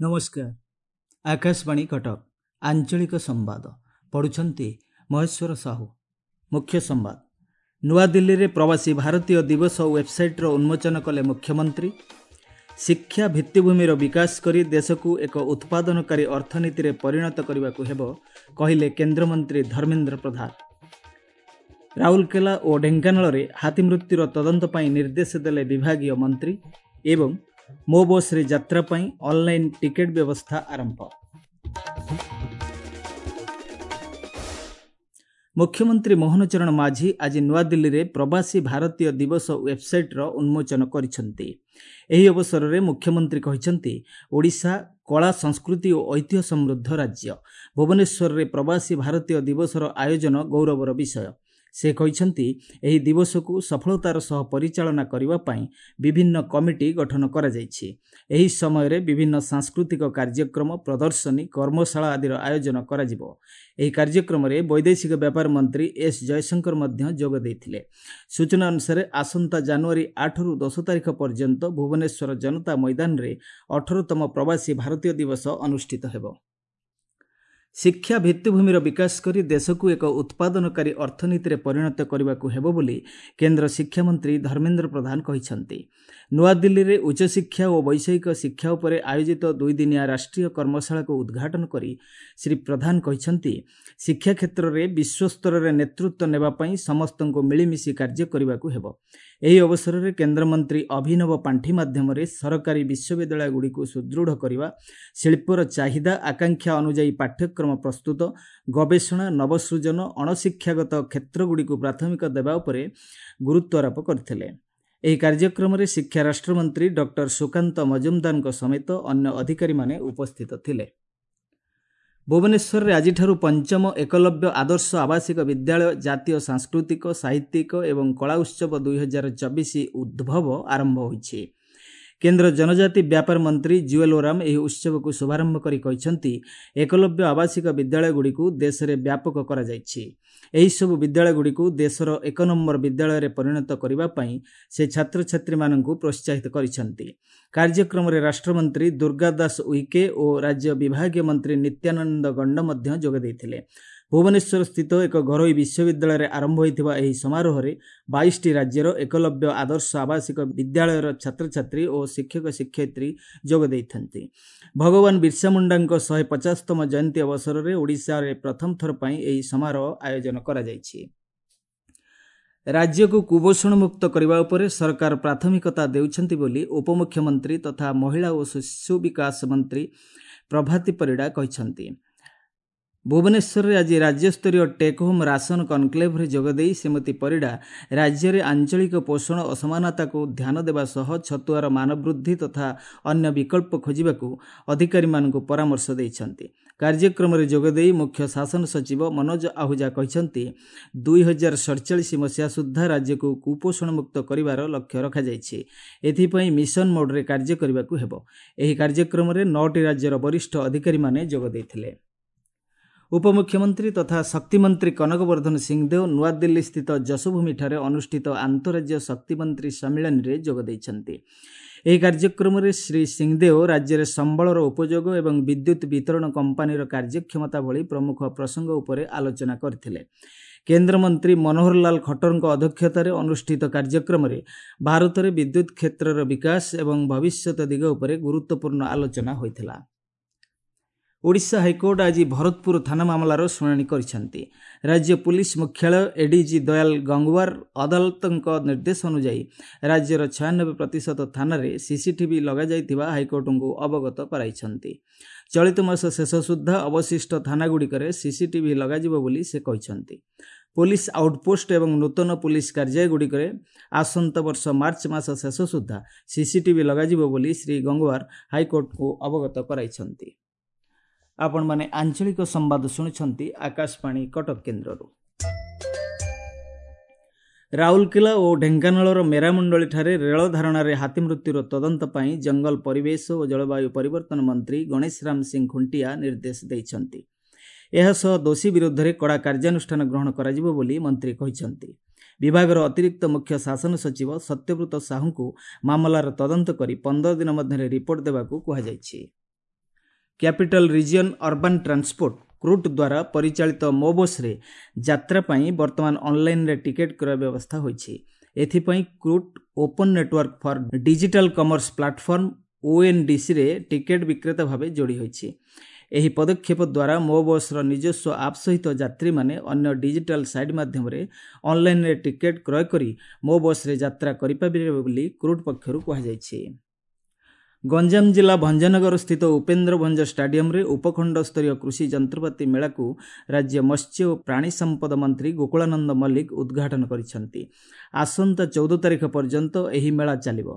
ନମସ୍କାର, ଆକାଶବାଣୀ କଟକ, ଆଞ୍ଚଳିକ ସମ୍ବାଦ ପଢ଼ୁଛନ୍ତି ମହେଶ୍ୱର ସାହୁ। ମୁଖ୍ୟ ସମ୍ବାଦ। ନୂଆଦିଲ୍ଲୀରେ ପ୍ରବାସୀ ଭାରତୀୟ ଦିବସ ୱେବସାଇଟ୍ର ଉନ୍ମୋଚନ କଲେ ମୁଖ୍ୟମନ୍ତ୍ରୀ। ଶିକ୍ଷା ଭିତ୍ତିଭୂମିର ବିକାଶ କରି ଦେଶକୁ ଏକ ଉତ୍ପାଦନକାରୀ ଅର୍ଥନୀତିରେ ପରିଣତ କରିବାକୁ ହେବ, କହିଲେ କେନ୍ଦ୍ରମନ୍ତ୍ରୀ ଧର୍ମେନ୍ଦ୍ର ପ୍ରଧାନ। ରାଉରକେଲା ଓ ଢେଙ୍କାନାଳରେ ହାତୀ ମୃତ୍ୟୁର ତଦନ୍ତ ପାଇଁ ନିର୍ଦ୍ଦେଶ ଦେଲେ ବିଭାଗୀୟ ମନ୍ତ୍ରୀ। ଏବଂ ମୋ ବସ୍ରେ ଯାତ୍ରା ପାଇଁ ଅନଲାଇନ୍ ଟିକେଟ୍ ବ୍ୟବସ୍ଥା ଆରମ୍ଭ। ମୁଖ୍ୟମନ୍ତ୍ରୀ ମୋହନ ଚରଣ ମାଝୀ ଆଜି ନୂଆଦିଲ୍ଲୀରେ ପ୍ରବାସୀ ଭାରତୀୟ ଦିବସ ୱେବସାଇଟ୍ର ଉନ୍ମୋଚନ କରିଛନ୍ତି। ଏହି ଅବସରରେ ମୁଖ୍ୟମନ୍ତ୍ରୀ କହିଛନ୍ତି, ଓଡ଼ିଶା କଳା, ସଂସ୍କୃତି ଓ ଐତିହ୍ୟ ସମୃଦ୍ଧ ରାଜ୍ୟ। ଭୁବନେଶ୍ୱରରେ ପ୍ରବାସୀ ଭାରତୀୟ ଦିବସର ଆୟୋଜନ ଗୌରବର ବିଷୟ। ସେ କହିଛନ୍ତି, ଏହି ଦିବସକୁ ସଫଳତାର ସହ ପରିଚାଳନା କରିବା ପାଇଁ ବିଭିନ୍ନ କମିଟି ଗଠନ କରାଯାଇଛି। ଏହି ସମୟରେ ବିଭିନ୍ନ ସାଂସ୍କୃତିକ କାର୍ଯ୍ୟକ୍ରମ, ପ୍ରଦର୍ଶନୀ, କର୍ମଶାଳା ଆଦିର ଆୟୋଜନ କରାଯିବ। ଏହି କାର୍ଯ୍ୟକ୍ରମରେ ବୈଦେଶିକ ବ୍ୟାପାର ମନ୍ତ୍ରୀ ଏସ୍ ଜୟଶଙ୍କର ମଧ୍ୟ ଯୋଗ ଦେଇଥିଲେ। ସୂଚନା ଅନୁସାରେ ଆସନ୍ତା ଜାନୁଆରୀ 8ରୁ 10 ତାରିଖ ପର୍ଯ୍ୟନ୍ତ ଭୁବନେଶ୍ୱର ଜନତା ମଇଦାନରେ 18ତମ ପ୍ରବାସୀ ଭାରତୀୟ ଦିବସ ଅନୁଷ୍ଠିତ ହେବ। ଶିକ୍ଷା ଭିତ୍ତିଭୂମିର ବିକାଶ କରି ଦେଶକୁ ଏକ ଉତ୍ପାଦନକାରୀ ଅର୍ଥନୀତିରେ ପରିଣତ କରିବାକୁ ହେବ ବୋଲି କେନ୍ଦ୍ର ଶିକ୍ଷାମନ୍ତ୍ରୀ ଧର୍ମେନ୍ଦ୍ର ପ୍ରଧାନ କହିଛନ୍ତି। ନୂଆଦିଲ୍ଲୀରେ ଉଚ୍ଚଶିକ୍ଷା ଓ ବୈଷୟିକ ଶିକ୍ଷା ଉପରେ ଆୟୋଜିତ ଦୁଇଦିନିଆ ରାଷ୍ଟ୍ରୀୟ କର୍ମଶାଳାକୁ ଉଦ୍ଘାଟନ କରି ଶ୍ରୀ ପ୍ରଧାନ କହିଛନ୍ତି, ଶିକ୍ଷା କ୍ଷେତ୍ରରେ ବିଶ୍ୱସ୍ତରରେ ନେତୃତ୍ୱ ନେବା ପାଇଁ ସମସ୍ତଙ୍କୁ ମିଳିମିଶି କାର୍ଯ୍ୟ କରିବାକୁ ହେବ। ଏହି ଅବସରରେ କେନ୍ଦ୍ରମନ୍ତ୍ରୀ ଅଭିନବ ପାଣ୍ଠି ମାଧ୍ୟମରେ ସରକାରୀ ବିଶ୍ୱବିଦ୍ୟାଳୟଗୁଡ଼ିକୁ ସୁଦୃଢ଼ କରିବା, ଶିଳ୍ପର ଚାହିଦା ଆକାଂକ୍ଷା ଅନୁଯାୟୀ ପାଠ୍ୟକ୍ରମ ପ୍ରସ୍ତୁତ, ଗବେଷଣା, ନବସୃଜନ, ଅଣଶିକ୍ଷାଗତ କ୍ଷେତ୍ରଗୁଡ଼ିକୁ ପ୍ରାଥମିକତା ଦେବା ଉପରେ ଗୁରୁତ୍ୱାରୋପ କରିଥିଲେ। ଏହି କାର୍ଯ୍ୟକ୍ରମରେ ଶିକ୍ଷା ରାଷ୍ଟ୍ରମନ୍ତ୍ରୀ ଡକ୍ଟର ସୁକାନ୍ତ ମଜୁମଦାରଙ୍କ ସମେତ ଅନ୍ୟ ଅଧିକାରୀମାନେ ଉପସ୍ଥିତ ଥିଲେ। ଭୁବନେଶ୍ୱରରେ ଆଜିଠାରୁ ପଞ୍ଚମ ଏକଲବ୍ୟ ଆଦର୍ଶ ଆବାସିକ ବିଦ୍ୟାଳୟ ଜାତୀୟ ସାଂସ୍କୃତିକ, ସାହିତ୍ୟିକ ଏବଂ କଳା ଉତ୍ସବ 2024 ଉଦ୍ଭବ ଆରମ୍ଭ ହୋଇଛି। କେନ୍ଦ୍ର ଜନଜାତି ବ୍ୟାପାର ମନ୍ତ୍ରୀ ଜୁଏଲ ଓରାମ ଏହି ଉତ୍ସବକୁ ଶୁଭାରମ୍ଭ କରି କହିଛନ୍ତି, ଏକଲବ୍ୟ ଆବାସିକ ବିଦ୍ୟାଳୟଗୁଡ଼ିକୁ ଦେଶରେ ବ୍ୟାପକ କରାଯାଇଛି। ଏହିସବୁ ବିଦ୍ୟାଳୟଗୁଡ଼ିକୁ ଦେଶର ଏକ ନମ୍ବର ବିଦ୍ୟାଳୟରେ ପରିଣତ କରିବା ପାଇଁ ସେ ଛାତ୍ରଛାତ୍ରୀମାନଙ୍କୁ ପ୍ରୋତ୍ସାହିତ କରିଛନ୍ତି। କାର୍ଯ୍ୟକ୍ରମରେ ରାଷ୍ଟ୍ରମନ୍ତ୍ରୀ ଦୁର୍ଗା ଦାସ ଉଇକେ ଓ ରାଜ୍ୟ ବିଭାଗୀୟ ମନ୍ତ୍ରୀ ନିତ୍ୟାନନ୍ଦ ଗଣ୍ଡ ମଧ୍ୟ ଯୋଗ ଦେଇଥିଲେ। ଭୁବନେଶ୍ୱର ସ୍ଥିତ ଏକ ଘରୋଇ ବିଶ୍ୱବିଦ୍ୟାଳୟରେ ଆରମ୍ଭ ହୋଇଥିବା ଏହି ସମାରୋହରେ 22ଟି ରାଜ୍ୟର ଏକଲବ୍ୟ ଆଦର୍ଶ ଆବାସିକ ବିଦ୍ୟାଳୟର ଛାତ୍ରଛାତ୍ରୀ ଓ ଶିକ୍ଷକ ଶିକ୍ଷୟିତ୍ରୀ ଯୋଗ ଦେଇଥାନ୍ତି। ଭଗବାନ ବିର୍ସା ମୁଣ୍ଡାଙ୍କ 150ତମ ଜୟନ୍ତୀ ଅବସରରେ ଓଡ଼ିଶାରେ ପ୍ରଥମ ଥର ପାଇଁ ଏହି ସମାରୋହ ଆୟୋଜନ କରାଯାଇଛି। ରାଜ୍ୟକୁ କୁପୋଷଣ ମୁକ୍ତ କରିବା ଉପରେ ସରକାର ପ୍ରାଥମିକତା ଦେଉଛନ୍ତି ବୋଲି ଉପମୁଖ୍ୟମନ୍ତ୍ରୀ ତଥା ମହିଳା ଓ ଶିଶୁ ବିକାଶ ମନ୍ତ୍ରୀ ପ୍ରଭାତୀ ପରିଡ଼ା କହିଛନ୍ତି। ଭୁବନେଶ୍ୱରରେ ଆଜି ରାଜ୍ୟସ୍ତରୀୟ ଟେକ୍ ହୋମ୍ ରାସନ କନକ୍ଲେଭରେ ଯୋଗଦେଇ ଶ୍ରୀମତୀ ପରିଡ଼ା ରାଜ୍ୟରେ ଆଞ୍ଚଳିକ ପୋଷଣ ଅସମାନତାକୁ ଧ୍ୟାନ ଦେବା ସହ ଛତୁଆର ମାନବୃଦ୍ଧି ତଥା ଅନ୍ୟ ବିକଳ୍ପ ଖୋଜିବାକୁ ଅଧିକାରୀମାନଙ୍କୁ ପରାମର୍ଶ ଦେଇଛନ୍ତି। କାର୍ଯ୍ୟକ୍ରମରେ ଯୋଗଦେଇ ମୁଖ୍ୟ ଶାସନ ସଚିବ ମନୋଜ ଆହୁଜା କହିଛନ୍ତି, 2047 ମସିହା ସୁଦ୍ଧା ରାଜ୍ୟକୁ କୁପୋଷଣ ମୁକ୍ତ କରିବାର ଲକ୍ଷ୍ୟ ରଖାଯାଇଛି। ଏଥିପାଇଁ ମିଶନ ମୋଡ୍ରେ କାର୍ଯ୍ୟ କରିବାକୁ ହେବ। ଏହି କାର୍ଯ୍ୟକ୍ରମରେ 9ଟି ରାଜ୍ୟର ବରିଷ୍ଠ ଅଧିକାରୀମାନେ ଯୋଗ ଦେଇଥିଲେ। ଉପମୁଖ୍ୟମନ୍ତ୍ରୀ ତଥା ଶକ୍ତିମନ୍ତ୍ରୀ କନକବର୍ଦ୍ଧନ ସିଂହଦେଓ ନୂଆଦିଲ୍ଲୀ ସ୍ଥିତ ଯଶୋଭୂମିଠାରେ ଅନୁଷ୍ଠିତ ଆନ୍ତଃରାଜ୍ୟ ଶକ୍ତିମନ୍ତ୍ରୀ ସମ୍ମିଳନୀରେ ଯୋଗ ଦେଇଛନ୍ତି। ଏହି କାର୍ଯ୍ୟକ୍ରମରେ ଶ୍ରୀ ସିଂହଦେଓ ରାଜ୍ୟରେ ସମ୍ବଳର ଉପଯୋଗ ଏବଂ ବିଦ୍ୟୁତ୍ ବିତରଣ କମ୍ପାନୀର କାର୍ଯ୍ୟକ୍ଷମତା ଭଳି ପ୍ରମୁଖ ପ୍ରସଙ୍ଗ ଉପରେ ଆଲୋଚନା କରିଥିଲେ। କେନ୍ଦ୍ରମନ୍ତ୍ରୀ ମନୋହରଲାଲ ଖଟ୍ଟରଙ୍କ ଅଧ୍ୟକ୍ଷତାରେ ଅନୁଷ୍ଠିତ କାର୍ଯ୍ୟକ୍ରମରେ ଭାରତରେ ବିଦ୍ୟୁତ୍ କ୍ଷେତ୍ରର ବିକାଶ ଏବଂ ଭବିଷ୍ୟତ ଦିଗ ଉପରେ ଗୁରୁତ୍ୱପୂର୍ଣ୍ଣ ଆଲୋଚନା ହୋଇଥିଲା। ଓଡ଼ିଶା ହାଇକୋର୍ଟ ଆଜି ଭରତପୁର ଥାନା ମାମଲାର ଶୁଣାଣି କରିଛନ୍ତି। ରାଜ୍ୟ ପୁଲିସ ମୁଖ୍ୟାଳୟ ଏଡିଜି ଦୟାଲ ଗଙ୍ଗୱାର ଅଦାଲତଙ୍କ ନିର୍ଦ୍ଦେଶ ଅନୁଯାୟୀ ରାଜ୍ୟର 96% ଥାନାରେ ସିସିଟିଭି ଲଗାଯାଇଥିବା ହାଇକୋର୍ଟଙ୍କୁ ଅବଗତ କରାଇଛନ୍ତି। ଚଳିତ ମାସ ଶେଷ ସୁଦ୍ଧା ଅବଶିଷ୍ଟ ଥାନାଗୁଡ଼ିକରେ ସିସିଟିଭି ଲଗାଯିବ ବୋଲି ସେ କହିଛନ୍ତି। ପୋଲିସ ଆଉଟପୋଷ୍ଟ ଏବଂ ନୂତନ ପୁଲିସ କାର୍ଯ୍ୟାଳୟଗୁଡ଼ିକରେ ଆସନ୍ତା ବର୍ଷ ମାର୍ଚ୍ଚ ମାସ ଶେଷ ସୁଦ୍ଧା ସିସିଟିଭି ଲଗାଯିବ ବୋଲି ଶ୍ରୀ ଗଙ୍ଗୱାର ହାଇକୋର୍ଟଙ୍କୁ ଅବଗତ କରାଇଛନ୍ତି। ଆପଣମାନେ ଆଞ୍ଚଳିକ ସମ୍ବାଦ ଶୁଣୁଛନ୍ତି ଆକାଶବାଣୀ କଟକ କେନ୍ଦ୍ରରୁ। ରାଉରକେଲା ଓ ଢେଙ୍କାନାଳର ମେରାମଣ୍ଡଳୀଠାରେ ରେଳ ଧାରଣାରେ ହାତୀ ମୃତ୍ୟୁର ତଦନ୍ତ ପାଇଁ ଜଙ୍ଗଲ ପରିବେଶ ଓ ଜଳବାୟୁ ପରିବର୍ତ୍ତନ ମନ୍ତ୍ରୀ ଗଣେଶ ରାମ ସିଂ ଖୁଣ୍ଟିଆ ନିର୍ଦ୍ଦେଶ ଦେଇଛନ୍ତି। ଏହାସହ ଦୋଷୀ ବିରୁଦ୍ଧରେ କଡ଼ା କାର୍ଯ୍ୟାନୁଷ୍ଠାନ ଗ୍ରହଣ କରାଯିବ ବୋଲି ମନ୍ତ୍ରୀ କହିଛନ୍ତି। ବିଭାଗର ଅତିରିକ୍ତ ମୁଖ୍ୟ ଶାସନ ସଚିବ ସତ୍ୟବ୍ରତ ସାହୁଙ୍କୁ ମାମଲାର ତଦନ୍ତ କରି 15 ଦିନ ମଧ୍ୟରେ ରିପୋର୍ଟ ଦେବାକୁ କୁହାଯାଇଛି। Capital region urban transport CRUT ଦ୍ୱାରା ପରିଚାଳିତ ମୋ ବସ୍ରେ ଯାତ୍ରା ପାଇଁ ବର୍ତ୍ତମାନ ଅନ୍ଲାଇନ୍ରେ ଟିକେଟ୍ କ୍ରୟ ବ୍ୟବସ୍ଥା ହୋଇଛି। ଏଥିପାଇଁ CRUT open network for digital commerce platform ଓଏନ୍ଡିସିରେ ticket ବିକ୍ରେତା ଭାବେ ଯୋଡ଼ି ହୋଇଛି। ଏହି ପଦକ୍ଷେପ ଦ୍ୱାରା ମୋ ବସ୍ର ନିଜସ୍ୱ ଆପ୍ ସହିତ ଯାତ୍ରୀମାନେ ଅନ୍ୟ ଡିଜିଟାଲ ସାଇଟ୍ ମାଧ୍ୟମରେ ଅନ୍ଲାଇନ୍ରେ ଟିକେଟ୍ କ୍ରୟ କରି ମୋ ବସ୍ରେ ଯାତ୍ରା କରିପାରିବେ ବୋଲି କ୍ରୁଟ୍ ପକ୍ଷରୁ କୁହାଯାଇଛି। ଗଞ୍ଜାମ ଜିଲ୍ଲା ଭଞ୍ଜନଗର ସ୍ଥିତ ଉପେନ୍ଦ୍ର ଭଞ୍ଜ ଷ୍ଟାଡିୟମରେ ଉପଖଣ୍ଡ ସ୍ତରୀୟ କୃଷି ଯନ୍ତ୍ରପାତି ମେଳାକୁ ରାଜ୍ୟ ମତ୍ସ୍ୟ ଓ ପ୍ରାଣୀ ସମ୍ପଦ ମନ୍ତ୍ରୀ ଗୋକୁଳାନନ୍ଦ ମଲ୍ଲିକ ଉଦ୍ଘାଟନ କରିଛନ୍ତି। ଆସନ୍ତା 14 ତାରିଖ ପର୍ଯ୍ୟନ୍ତ ଏହି ମେଳା ଚାଲିବ।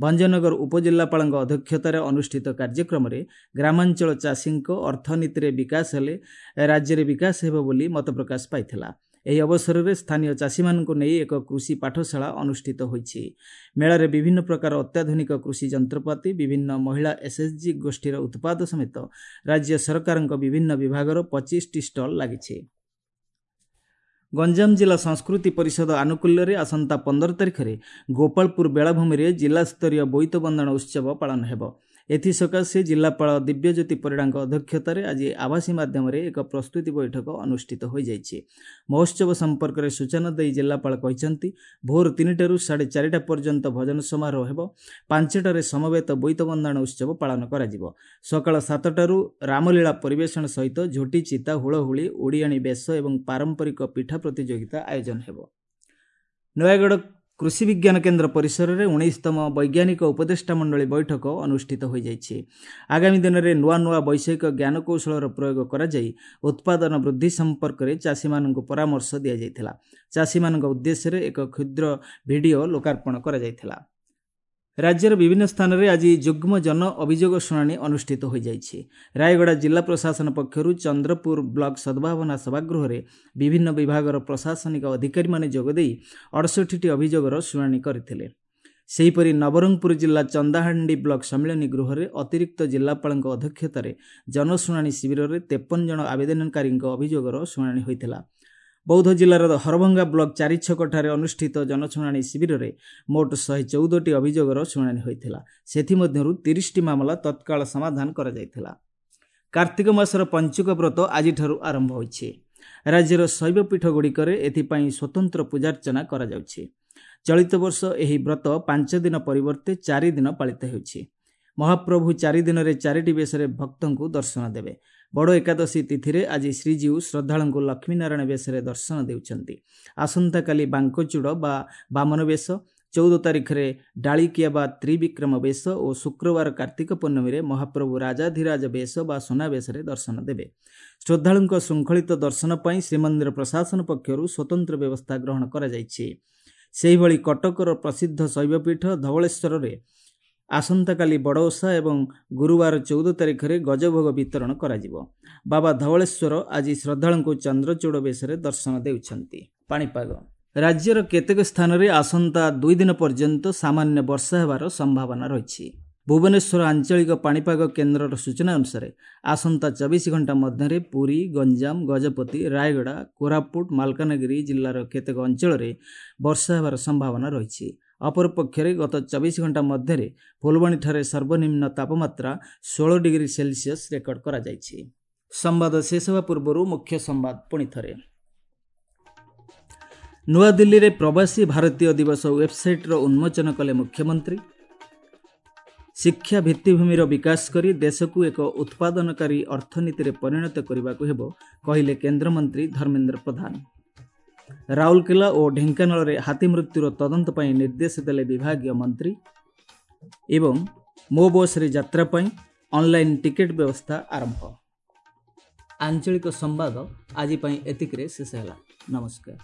ଭଞ୍ଜନଗର ଉପଜିଲ୍ଲାପାଳଙ୍କ ଅଧ୍ୟକ୍ଷତାରେ ଅନୁଷ୍ଠିତ କାର୍ଯ୍ୟକ୍ରମରେ ଗ୍ରାମାଞ୍ଚଳ ଚାଷୀଙ୍କ ଅର୍ଥନୀତିରେ ବିକାଶ ହେଲେ ରାଜ୍ୟରେ ବିକାଶ ହେବ ବୋଲି ମତପ୍ରକାଶ ପାଇଥିଲା। ଏହି ଅବସରରେ ସ୍ଥାନୀୟ ଚାଷୀମାନଙ୍କୁ ନେଇ ଏକ କୃଷି ପାଠଶାଳା ଅନୁଷ୍ଠିତ ହୋଇଛି। ମେଳାରେ ବିଭିନ୍ନ ପ୍ରକାର ଅତ୍ୟାଧୁନିକ କୃଷି ଯନ୍ତ୍ରପାତି, ବିଭିନ୍ନ ମହିଳା ଏସ୍ଏଚ୍ଜି ଗୋଷ୍ଠୀର ଉତ୍ପାଦ ସମେତ ରାଜ୍ୟ ସରକାରଙ୍କ ବିଭିନ୍ନ ବିଭାଗର 25ଟି ଷ୍ଟଲ୍ ଲାଗିଛି। ଗଞ୍ଜାମ ଜିଲ୍ଲା ସଂସ୍କୃତି ପରିଷଦ ଆନୁକୂଲ୍ୟରେ ଆସନ୍ତା 15 ତାରିଖରେ ଗୋପାଳପୁର ବେଳାଭୂମିରେ ଜିଲ୍ଲାସ୍ତରୀୟ ବୋଇତ ବନ୍ଦାଣ ଉତ୍ସବ ପାଳନ ହେବ। ଏଥିସକାଶେ ଜିଲ୍ଲାପାଳ ଦିବ୍ୟଜ୍ୟୋତି ପରିଡ଼ାଙ୍କ ଅଧ୍ୟକ୍ଷତାରେ ଆଜି ଆଭାସୀ ମାଧ୍ୟମରେ ଏକ ପ୍ରସ୍ତୁତି ବୈଠକ ଅନୁଷ୍ଠିତ ହୋଇଯାଇଛି। ମହୋତ୍ସବ ସମ୍ପର୍କରେ ସୂଚନା ଦେଇ ଜିଲ୍ଲାପାଳ କହିଛନ୍ତି, ଭୋର 3ଟାରୁ 4:30 ପର୍ଯ୍ୟନ୍ତ ଭଜନ ସମାରୋହ ହେବ। 5ଟାରେ ସମବେତ ବୋଇତ ବନ୍ଦାଣ ଉତ୍ସବ ପାଳନ କରାଯିବ। ସକାଳ 7ଟାରୁ ରାମଲୀଳା ପରିବେଷଣ ସହିତ ଝୋଟି ଚିତା, ହୁଳହୁଳି, ଓଡ଼ିଆଣୀ ବେଶ ଏବଂ ପାରମ୍ପରିକ ପିଠା ପ୍ରତିଯୋଗିତା ଆୟୋଜନ ହେବ। ନୟାଗଡ଼ କୃଷି ବିଜ୍ଞାନ କେନ୍ଦ୍ର ପରିସରରେ 19ତମ ବୈଜ୍ଞାନିକ ଉପଦେଷ୍ଟା ମଣ୍ଡଳୀ ବୈଠକ ଅନୁଷ୍ଠିତ ହୋଇଯାଇଛି। ଆଗାମୀ ଦିନରେ ନୂଆ ନୂଆ ବୈଷୟିକ ଜ୍ଞାନକୌଶଳର ପ୍ରୟୋଗ କରାଯାଇ ଉତ୍ପାଦନ ବୃଦ୍ଧି ସମ୍ପର୍କରେ ଚାଷୀମାନଙ୍କୁ ପରାମର୍ଶ ଦିଆଯାଇଥିଲା। ଚାଷୀମାନଙ୍କ ଉଦ୍ଦେଶ୍ୟରେ ଏକ କ୍ଷୁଦ୍ର ଭିଡ଼ିଓ ଲୋକାର୍ପଣ କରାଯାଇଥିଲା। ରାଜ୍ୟର ବିଭିନ୍ନ ସ୍ଥାନରେ ଆଜି ଯୁଗ୍ମ ଜନ ଅଭିଯୋଗ ଶୁଣାଣି ଅନୁଷ୍ଠିତ ହୋଇଯାଇଛି। ରାୟଗଡ଼ା ଜିଲ୍ଲା ପ୍ରଶାସନ ପକ୍ଷରୁ ଚନ୍ଦ୍ରପୁର ବ୍ଲକ ସଦ୍ଭାବନା ସଭାଗୃହରେ ବିଭିନ୍ନ ବିଭାଗର ପ୍ରଶାସନିକ ଅଧିକାରୀମାନେ ଯୋଗଦେଇ 68ଟି ଅଭିଯୋଗର ଶୁଣାଣି କରିଥିଲେ। ସେହିପରି ନବରଙ୍ଗପୁର ଜିଲ୍ଲା ଚନ୍ଦାହାଣ୍ଡି ବ୍ଲକ ସମ୍ମିଳନୀ ଗୃହରେ ଅତିରିକ୍ତ ଜିଲ୍ଲାପାଳଙ୍କ ଅଧ୍ୟକ୍ଷତାରେ ଜନଶୁଣାଣି ଶିବିରରେ 53 ଜଣ ଆବେଦନକାରୀଙ୍କ ଅଭିଯୋଗର ଶୁଣାଣି ହୋଇଥିଲା। ବୌଦ୍ଧ ଜିଲ୍ଲାର ହରଭଙ୍ଗା ବ୍ଲକ ଚାରିଛକଠାରେ ଅନୁଷ୍ଠିତ ଜନଶୁଣାଣି ଶିବିରରେ ମୋଟ 114ଟି ଅଭିଯୋଗର ଶୁଣାଣି ହୋଇଥିଲା। ସେଥିମଧ୍ୟରୁ 30ଟି ମାମଲା ତତ୍କାଳ ସମାଧାନ କରାଯାଇଥିଲା। କାର୍ତ୍ତିକ ମାସର ପଞ୍ଚୁକ ବ୍ରତ ଆଜିଠାରୁ ଆରମ୍ଭ ହୋଇଛି। ରାଜ୍ୟର ଶୈବପୀଠଗୁଡ଼ିକରେ ଏଥିପାଇଁ ସ୍ୱତନ୍ତ୍ର ପୂଜାର୍ଚ୍ଚନା କରାଯାଉଛି। ଚଳିତ ବର୍ଷ ଏହି ବ୍ରତ 5 ଦିନ ପରିବର୍ତ୍ତେ 4 ଦିନ ପାଳିତ ହେଉଛି। ମହାପ୍ରଭୁ 4 ଦିନରେ 4ଟି ବେଶରେ ଭକ୍ତଙ୍କୁ ଦର୍ଶନ ଦେବେ। ବଡ଼ ଏକାଦଶୀ ତିଥିରେ ଆଜି ଶ୍ରୀଜୀଉ ଶ୍ରଦ୍ଧାଳୁଙ୍କୁ ଲକ୍ଷ୍ମୀନାରାୟଣ ବେଶରେ ଦର୍ଶନ ଦେଉଛନ୍ତି। ଆସନ୍ତାକାଲି ବାଙ୍କଚୂଡ଼ ବା ବାମନ ବେଶ, 14 ତାରିଖରେ ଡାଳିକିଆ ବା ତ୍ରିବିକ୍ରମ ବେଶ ଓ ଶୁକ୍ରବାର କାର୍ତ୍ତିକ ପୂର୍ଣ୍ଣମୀରେ ମହାପ୍ରଭୁ ରାଜାଧିରାଜ ବେଶ ବା ସୁନାବେଶରେ ଦର୍ଶନ ଦେବେ। ଶ୍ରଦ୍ଧାଳୁଙ୍କ ଶୃଙ୍ଖଳିତ ଦର୍ଶନ ପାଇଁ ଶ୍ରୀମନ୍ଦିର ପ୍ରଶାସନ ପକ୍ଷରୁ ସ୍ୱତନ୍ତ୍ର ବ୍ୟବସ୍ଥା ଗ୍ରହଣ କରାଯାଇଛି। ସେହିଭଳି କଟକର ପ୍ରସିଦ୍ଧ ଶୈବପୀଠ ଧବଳେଶ୍ୱରରେ ଆସନ୍ତାକାଲି ବଡ଼ ଓଷା ଏବଂ ଗୁରୁବାର 14 ତାରିଖରେ ଗଜଭୋଗ ବିତରଣ କରାଯିବ। ବାବା ଧବଳେଶ୍ୱର ଆଜି ଶ୍ରଦ୍ଧାଳୁଙ୍କୁ ଚନ୍ଦ୍ରଚୂଡ଼ ବେଶରେ ଦର୍ଶନ ଦେଉଛନ୍ତି। ପାଣିପାଗ ରାଜ୍ୟର କେତେକ ସ୍ଥାନରେ ଆସନ୍ତା 2 ଦିନ ପର୍ଯ୍ୟନ୍ତ ସାମାନ୍ୟ ବର୍ଷା ହେବାର ସମ୍ଭାବନା ରହିଛି। ଭୁବନେଶ୍ୱର ଆଞ୍ଚଳିକ ପାଣିପାଗ କେନ୍ଦ୍ରର ସୂଚନା ଅନୁସାରେ ଆସନ୍ତା 24 ଘଣ୍ଟା ମଧ୍ୟରେ ପୁରୀ, ଗଞ୍ଜାମ, ଗଜପତି, ରାୟଗଡ଼ା, କୋରାପୁଟ, ମାଲକାନଗିରି ଜିଲ୍ଲାର କେତେକ ଅଞ୍ଚଳରେ ବର୍ଷା ହେବାର ସମ୍ଭାବନା ରହିଛି। ଅପରପକ୍ଷରେ ଗତ 24 ଘଣ୍ଟା ମଧ୍ୟରେ ଫୁଲବାଣୀଠାରେ ସର୍ବନିମ୍ନ ତାପମାତ୍ରା 16 ଡିଗ୍ରୀ ସେଲସିୟସ୍ ରେକର୍ଡ କରାଯାଇଛି। ସମ୍ବାଦ ଶେଷ ହେବା ପୂର୍ବରୁ ମୁଖ୍ୟ ସମ୍ବାଦ ପୁଣି ଥରେ। ନୂଆଦିଲ୍ଲୀରେ ପ୍ରବାସୀ ଭାରତୀୟ ଦିବସ ୱେବସାଇଟ୍ର ଉନ୍ମୋଚନ କଲେ ମୁଖ୍ୟମନ୍ତ୍ରୀ। ଶିକ୍ଷା ଭିତ୍ତିଭୂମିର ବିକାଶ କରି ଦେଶକୁ ଏକ ଉତ୍ପାଦନକାରୀ ଅର୍ଥନୀତିରେ ପରିଣତ କରିବାକୁ ହେବ, କହିଲେ କେନ୍ଦ୍ରମନ୍ତ୍ରୀ ଧର୍ମେନ୍ଦ୍ର ପ୍ରଧାନ। ରାଉରକେଲା ଓ ଢେଙ୍କାନାଳରେ ହାତୀ ମୃତ୍ୟୁର ତଦନ୍ତ ପାଇଁ ନିର୍ଦ୍ଦେଶ ଦେଲେ ବିଭାଗୀୟ ମନ୍ତ୍ରୀ। ଏବଂ ମୋ ବସ୍ରେ ଯାତ୍ରା ପାଇଁ ଅନଲାଇନ୍ ଟିକେଟ୍ ବ୍ୟବସ୍ଥା ଆରମ୍ଭ। ଆଞ୍ଚଳିକ ସମ୍ବାଦ ଆଜି ପାଇଁ ଏତିକିରେ ଶେଷ ହେଲା। ନମସ୍କାର।